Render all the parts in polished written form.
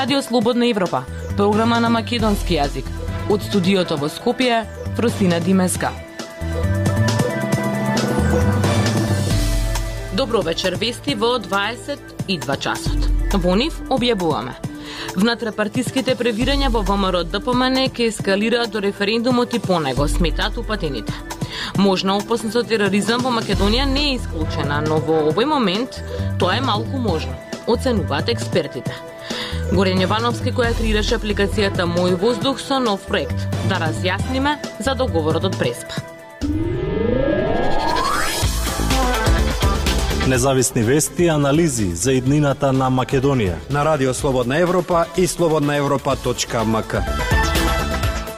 Радио Слободна Европа, програма на македонски јазик. Од студиото во Скопје, Фростина Димеска. Добро вечер, вести во 22 часот. Во нив објавуваме. Внатрепартиските превирања во ВМРО ДПМН ке ескалираат до референдумот и по него, сметаат упатените. Можна опасност од тероризам во Македонија не е исклучена, но во овој момент тоа е малку можно, оценуваат експертите. Горен Јовановски, која креираше апликацијата Мој воздух со нов проект, да разјасниме за договорот од Преспа. Независни вести и анализи за иднината на Македонија на Радио Слободна Европа и slobodnaevropa.mk.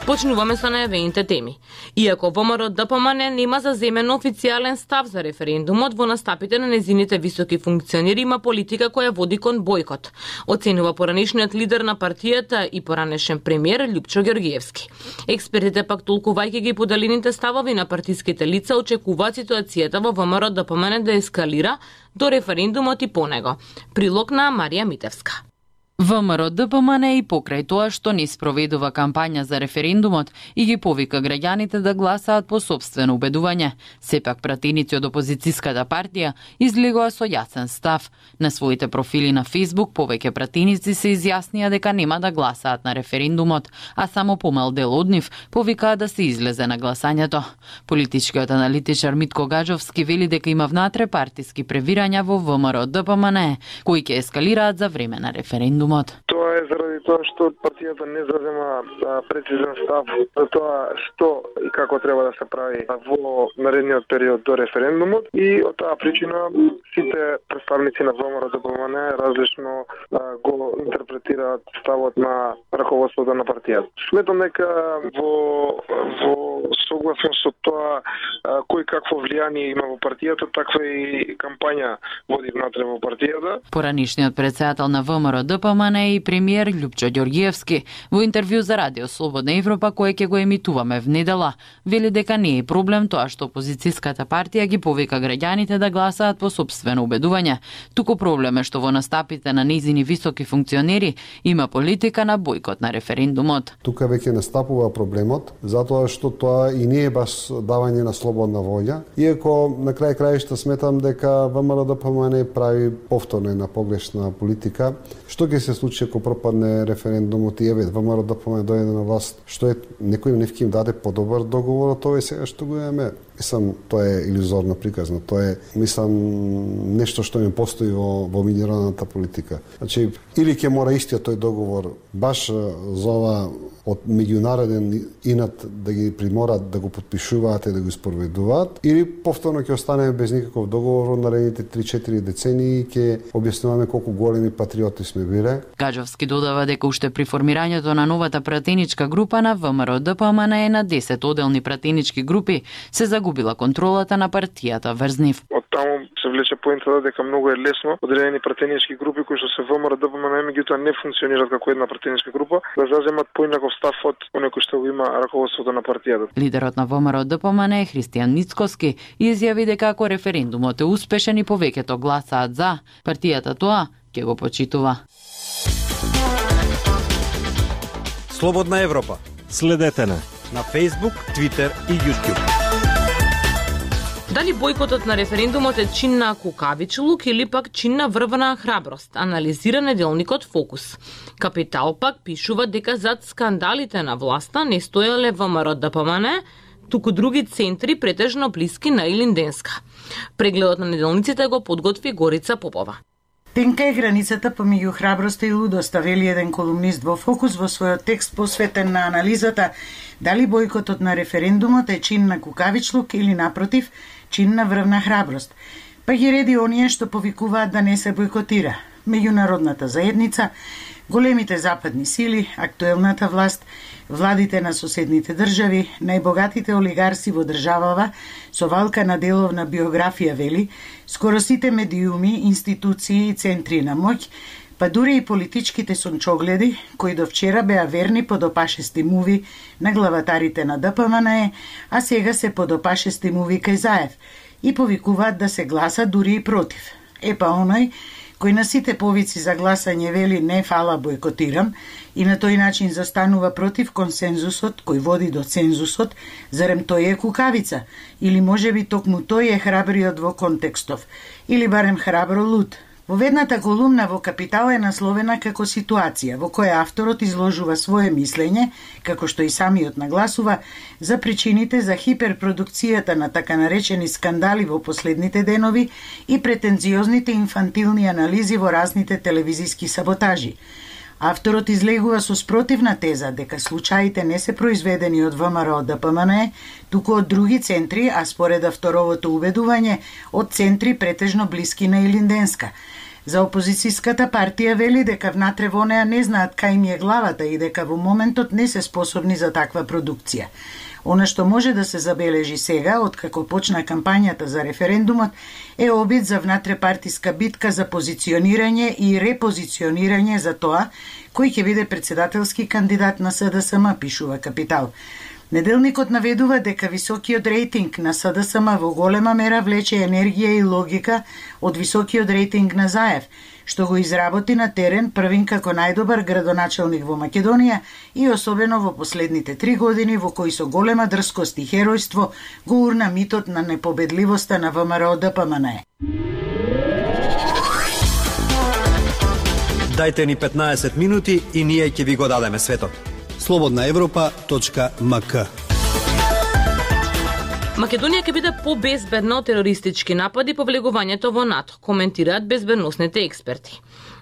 Почнуваме со најавените теми. Иако ВМРО ДПМН нема заземен официјален став за референдумот, во настапите на незините високи функционери има политика која води кон бојкот, оценува поранешниот лидер на партијата и поранешен премиер Љупчо Ѓоргиевски. Експертите пак толкувајќи ги поделените ставови на партиските лица очекуваат ситуацијата во ВМРО ДПМН да ескалира до референдумот и по него. Прилог на Марија Митевска. ВМРО ДПМН и покрај тоа што не спроведува кампања за референдумот и ги повика граѓаните да гласаат по сопствено убедување. Сепак пратеници од опозицијската партија излегоа со јасен став. На своите профили на Facebook повеќе пратеници се изјаснија дека нема да гласаат на референдумот, а само помал дел од нив повикаа да се излезе на гласањето. Политичкиот аналитичар Митко Гаджовски вели дека има внатре партиски превирања во ВМРО ДПМН, кои ќе ескалираат за време на референдум. Тоа е заради тоа што партијата не зазема прецизен став за тоа што и како треба да се прави во наредниот период до референдумот и од таа причина сите представници на ВМРО ДПМН различно го интерпретираат ставот на раководството на партијата. Сметам дека во согласно со тоа кој какво влијание има во партијата, таква и кампања води внатре во партијата. Поранишниот претседател на ВМРО ДПМН и премиер Љупчо Ѓоргиевски во интервју за Радио Слободна Европа, кое ќе го емитуваме в недела, вели дека не е проблем тоа што опозицијската партија ги повика граѓаните да гласаат по сопствено убедување. Туку проблем е што во настапите на незини високи функционери има политика на бојкот на референдумот. Тука веќе настапува проблемот, затоа што тоа и не е баш давање на слободна волја, иако на крај краишта сметам дека ВМРО ДПМН прави повторно една погрешна политика. Што ќе се случи ако пропадне референдумот и еве ВМРО ДПМН дојде на власт, што е некој не им даде подобар договор од тоа сега што го имаме? Мислам, тоа е илузорно приказно. Тоа е, мислам, нешто што не постои во меѓународната политика. Значи, или ќе мора истиот тој договор баш за ова од меѓународен инат да ги приморат да го потпишуваат и да го спроведуваат, или повторно ќе останеме без никаков договор во наредните 3-4 децении и ќе објаснуваме колку големи патриоти сме биле. Гаджовски додава дека уште при формирањето на новата пратеничка група на ВМРО ДПМН е на 10 оделни пратенички групи се загубила контролата на партијата врз нив. Од таму се влече поентата дека многу е лесно одредени пратенички групи кои што се ВМРО ДПМН меѓутоа не функционираат како една пратеничка група да заземат поинаков став од оној кој што го има раководството на партијата. Лидерот на ВМРО ДПМН Христијан Ницкоски изјави дека ако референдумот е успешен и повеќето гласаат за, партијата тоа ќе го почитува. Слободна Европа. Следете на Facebook, Twitter и YouTube. Дали бојкотот на референдумот е чин на кукавичлук или пак чин на врвна храброст, анализира неделникот Фокус. Капитал пак пишува дека зад скандалите на власта не стоеле ВМРО ДПМН, туку други центри претежно блиски на Илинденска. Прегледот на неделниците го подготви Горица Попова. Тенка е границата помеѓу храброста и лудоста, вели еден колумнист во Фокус во својот текст посветен на анализата дали бојкотот на референдумот е чин на кукавичлук или напротив чин на врвна храброст. Па ги реди оние што повикуваат да не се бојкотира: меѓународната заедница, големите западни сили, актуелната власт, владите на соседните држави, најбогатите олигарси во државава, со валка на деловна биографија, вели, скоро сите медиуми, институции и центри на моќ, па дури и политичките сончогледи, кои до вчера беа верни подопашести муви на главатарите на ДПМН, а сега се подопашести муви кај Заев и повикуваат да се гласа дури и против. Епа оној кој на сите повици за гласање вели не фала бойкотирам и на тој начин застанува против консензусот кој води до цензусот, зарем тој е кукавица, или можеби токму тој е храбриот во контекстов, или барем храбро луд. Во ведната колумна во Капитал е насловена како ситуација во која авторот изложува свое мислење, како што и самиот нагласува, за причините за хиперпродукцијата на така наречени скандали во последните денови и претенциозните инфантилни анализи во разните телевизиски саботажи. Авторот излегува со спротивна теза дека случаите не се произведени од ВМРО ДПМН, туку од други центри, а според авторовото убедување, од центри претежно блиски на Илинденска. За опозицијската партија вели дека внатре во неа не знаат кај им е главата и дека во моментот не се способни за таква продукција. Она што може да се забележи сега, откако почна кампањата за референдумот, е обид за внатрепартиска битка за позиционирање и репозиционирање за тоа кој ќе биде председателски кандидат на СДСМ, пишува Капитал. Неделникот наведува дека високиот рейтинг на СДСМ во голема мера влече енергија и логика од високиот рейтинг на Заев, што го изработи на терен првин како најдобар градоначелник во Македонија и особено во последните 3 години во кои со голема дрскост и херојство го урна митот на непобедливоста на ВМРО ДПМН. Дајте ни 15 минути и ние ќе ви го дадеме светот. slobodnaevropa.mk. Македонија ќе биде побезбедна од терористички напади по влегувањето во НАТО, коментираат безбедносните експерти.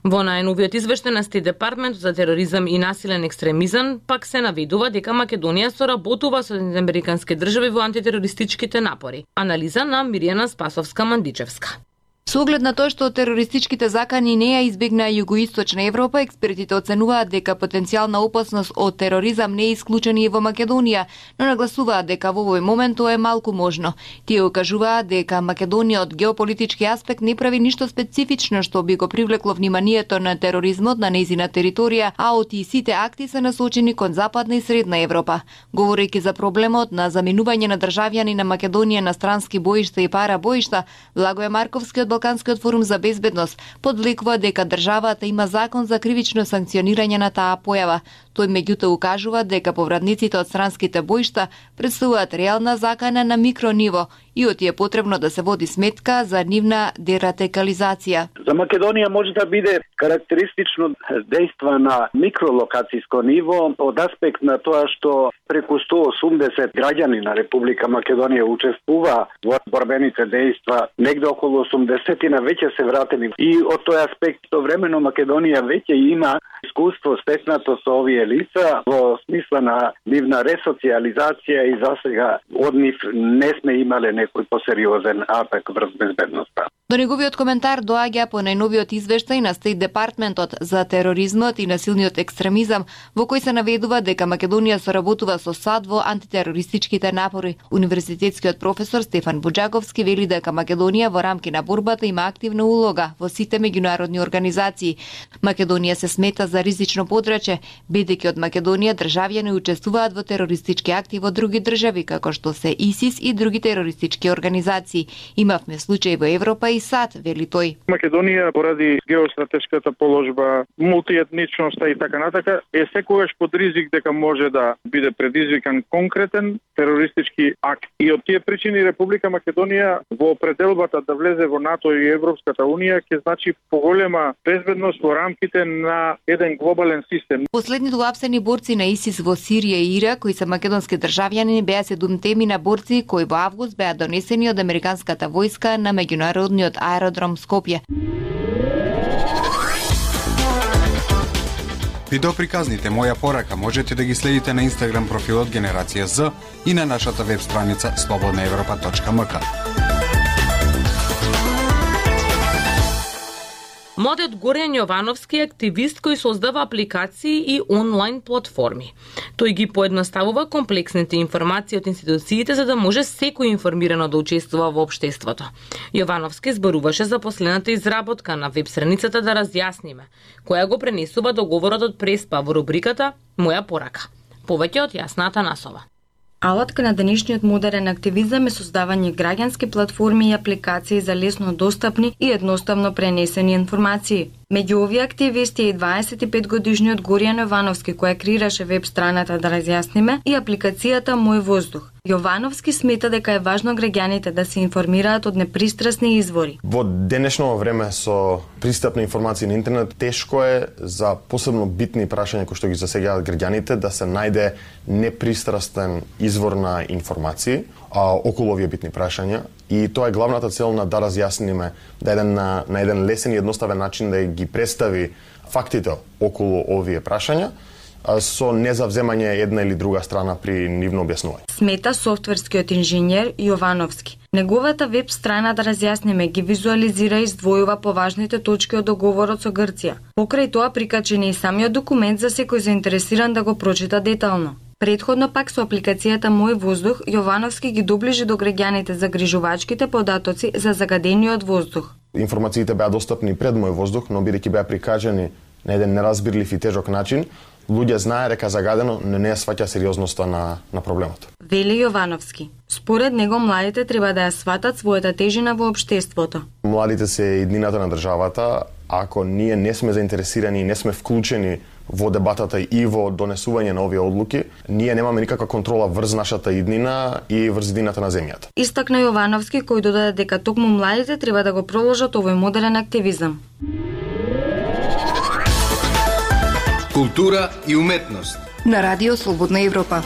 Во најновиот извештај на Стейт Департмент за тероризам и насилен екстремизам пак се наведува дека Македонија соработува со американски држави во антитерористичките напори. Анализа на Мирјана Спасовска-Мандичевска. Со оглед на тоа што терористичките закани не ја избегнаа југоисточна Европа, експертите оценуваат дека потенцијална опасност од тероризам не е исклучена и во Македонија, но нагласуваат дека во овој момент тоа е малку можно. Тие укажуваат дека Македонија од геополитички аспект не прави ништо специфично што би го привлекло вниманието на тероризмот на нејзина територија, а оти сите акти се насочени кон Западна и Средна Европа. Говорејќи за проблемот на заминување на државјани на Македонија на странски боишта и пара боишта, Благоје Марковски од Балканскиот форум за безбедност подвлекува дека државата има закон за кривично санкционирање на таа појава. Тој меѓутоа укажува дека повратниците од странските боишта представуваат реална закана на микрониво и оти е потребно да се води сметка за нивна дерадикализација. За Македонија може да биде карактеристично дејства на микролокацијско ниво од аспект на тоа што преку 180 граѓани на Република Македонија учествува во борбените дејства, негде околу 80 веќе се вратени. И од тој аспект времено Македонија веќе има искуство стекнато со овие лица во смисла на нивна ресоциализација и засега од нив не сме имале некој посериозен атак врз безбедноста. До неговиот коментар доаѓа по најновиот извештај на Стейт Департментот за тероризмот и насилниот екстремизам, во кој се наведува дека Македонија соработува со САД во антитерористичките напори. Универзитетскиот професор Стефан Буџаковски вели дека Македонија во рамки на борбата има активна улога во сите меѓународни организации. Македонија се смета за ризично подрачје, бидејќи од Македонија државјани учествуваат во терористички акти во други држави, како што се ИСИС и други терористички организации. Имавме случаи во Европа и САД, вели тој. Македонија поради геостратешката положба, мултиетничноста и така натака е секогаш под ризик дека може да биде предизвикан конкретен терористички акт. И од тие причини Република Македонија во пределбата да влезе во НАТО и Европската унија ќе значи поголема безбедност во рамките на еден глобален систем. Последните уапсени борци на ИСИС во Сирија и Ирак, кои се македонски државјани, беа 7 теми на борци кои во август беа донесени од американската војска на меѓународниот аеродром Скопје. Видеоприказните Моја порака можете да ги следите на Инстаграм профилот Генерација З и на нашата веб страница slobodnaevropa.mk. Младиот Горјан Јовановски е активист кој создава апликации и онлайн платформи. Тој ги поедноставува комплексните информации од институциите за да може секој информирано да учествува во општеството. Јовановски зборуваше за последната изработка на веб страницата Да разјасниме, која го пренесува договорот од Преспа во рубриката Моја порака. Повеќе од Јасна Атанасова. Алатка на денешниот модерен активизам е создавање граѓански платформи и апликации за лесно достапни и едноставно пренесени информации. Меѓу овие активисти е и 25-годишниот Горијан Јовановски, кој креираше веб страната Да разјасниме и апликацијата Мој воздух. Јовановски смета дека е важно граѓаните да се информираат од непристрасни извори. Во денешно време со пристап на информации на интернет тешко е за посебно битни прашања кои што ги засегаат граѓаните да се најде непристрастен извор на информации околу овие битни прашања, и тоа е главната цел на Да разјасниме, на еден лесен и едноставен начин да ги представи фактите околу овие прашања со незавземање една или друга страна при нивно објаснување. Смета софтверскиот инженер Јовановски. Неговата веб страна Да разјасниме ги визуализира и издвојува поважните точки од договорот со Грција. Покрај тоа прикачен е и самиот документ за секој заинтересиран да го прочита детално. Предходно пак со апликацијата Мој воздух, Јовановски ги доближи до граѓаните загрижувачките податоци за загадениот воздух. Информациите беа достапни пред Мој воздух, но бидејќи беа прикажани на еден неразбирлив и тежок начин, луѓе знае дека загадено, но не ја сваќа сериозноста на проблемот. Вели Јовановски. Според него младите треба да ја сватат својата тежина во општеството. Младите се иднината на државата. Ако ние не сме заинтересирани и не сме вклучени во дебатата и во донесување на овие одлуки, ние немаме никаква контрола врз нашата иднина и врз иднината на земјата. Истакна Јовановски, кој додаде дека токму младите треба да го проложат овој модерен активизам. Култура и уметност на Радио Слободна Европа.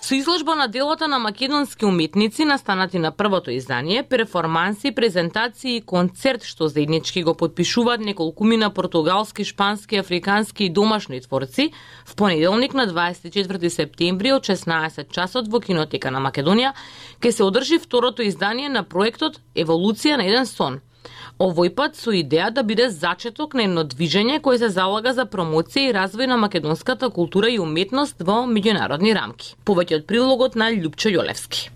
Со изложба на делата на македонски уметници настанати на првото издание, перформанси, презентации и концерт што заеднички го потпишуваат неколкумина португалски, шпански, африкански и домашни творци, в понеделник на 24 септември од 16 часот во Кинотека на Македонија ќе се одржи второто издание на проектот Еволуција на еден сон. Овој пат со идеја да биде зачеток на едно движење кое се залага за промоција и развој на македонската култура и уметност во меѓународни рамки. Повеќе од прилогот на Љупчо Јолевски.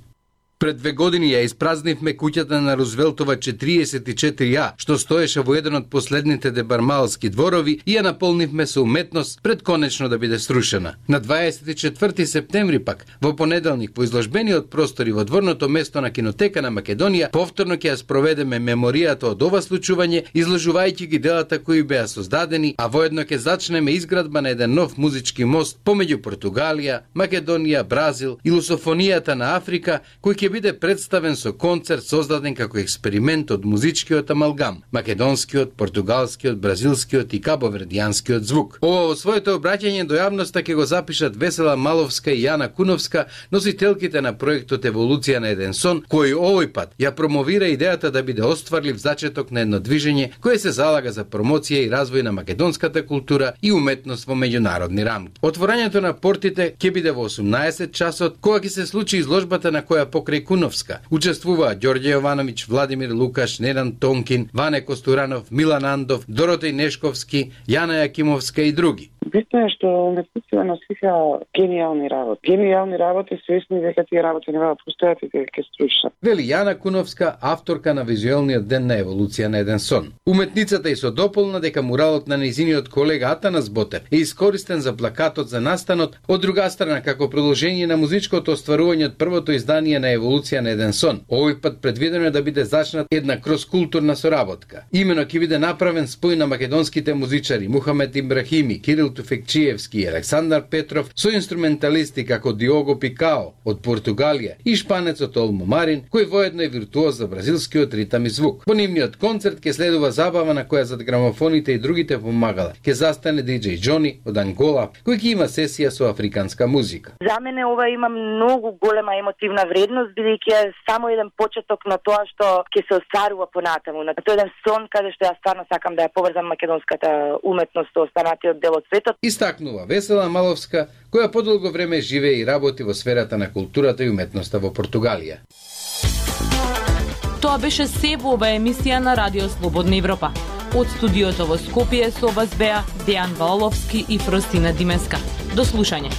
Пред 2 години ја испразнивме куќата на Рузвелтова 44А, што стоеше во еден од последните дебармалски дворови, и ја наполнивме со уметност пред конечно да биде срушена. На 24 септември пак, во понеделник, во изложбениот простори во дворното место на Кинотека на Македонија, повторно ќе ја спроведеме меморијата од ова случување, изложувајќи ги делата кои беа создадени, а воедно ќе зачнеме изградба на еден нов музички мост помеѓу Португалија, Македонија, Бразил и лусофонијата на Африка, кој ќе биде представен со концерт создаден како експеримент од музичкиот амалгам, македонскиот, португалскиот, бразилскиот и кабовердијанскиот звук. Ова во своето обраќање до јавноста ќе го запишат Весела Маловска и Јана Куновска, носителките на проектот Еволуција на еден сон, кој овој пат ја промовира идејата да биде остварлив зачеток на едно движење кое се залага за промоција и развој на македонската култура и уметност во меѓународни рамки. Отворањето на портите ќе биде во 18 часот, кога ќе се случи изложбата на која покрај Куновска учествуваат Ѓорѓе Јовановиќ, Владимир Лукаш, Ненан Тонкин, Ване Костуранов, Милан Андов, Доротеј Нешковски, Јана Јакимовска и други. Битно е што уметниците носиха гениални работи. Гениални работи, свесни дека тие работи нема да постојат и дека ќе струшат. Вели Јана Куновска, авторка на визуелниот ден на Еволуција на еден сон. Уметницата и со дополна дека муралот на нејзиниот колега Атанас Ботев е искористен за плакатот за настанот, од друга страна како продолжение на музичкото остварување од првото издание на Еволуција на еден сон. Овој пат предвидено е да биде зачнат една кроскултурна соработка. Имено ќе биде направен спој на македонските музичари Мухамед Ибрахими, Кирил Туфекчиевски и Александар Петров со инструменталисти како Диого Пикао од Португалија и шпанецот Олмо Марин, кој воедно е виртуоз за бразилскиот ритам и звук. По нивниот концерт ќе следува забава на која зад грамофоните и другите помагала ќе застане диџеј Џони од Ангола, кој ќе има сесија со африканска музика. За мене ова има многу голема емотивна вредност, бидејќи е само еден почеток на тоа што ќе се остварува понатаму. На тој еден сон каде што ја стварно сакам да ја поврзам македонската уметност со останатиот дел од светот. Истакнува Весела Маловска, која подолго време живее и работи во сферата на културата и уметноста во Португалија. Тоа беше се во оваа емисија на Радио Слободна Европа. Од студиото во Скопје со вас беа Дејан Валовски и Фростина Димеска. До слушање.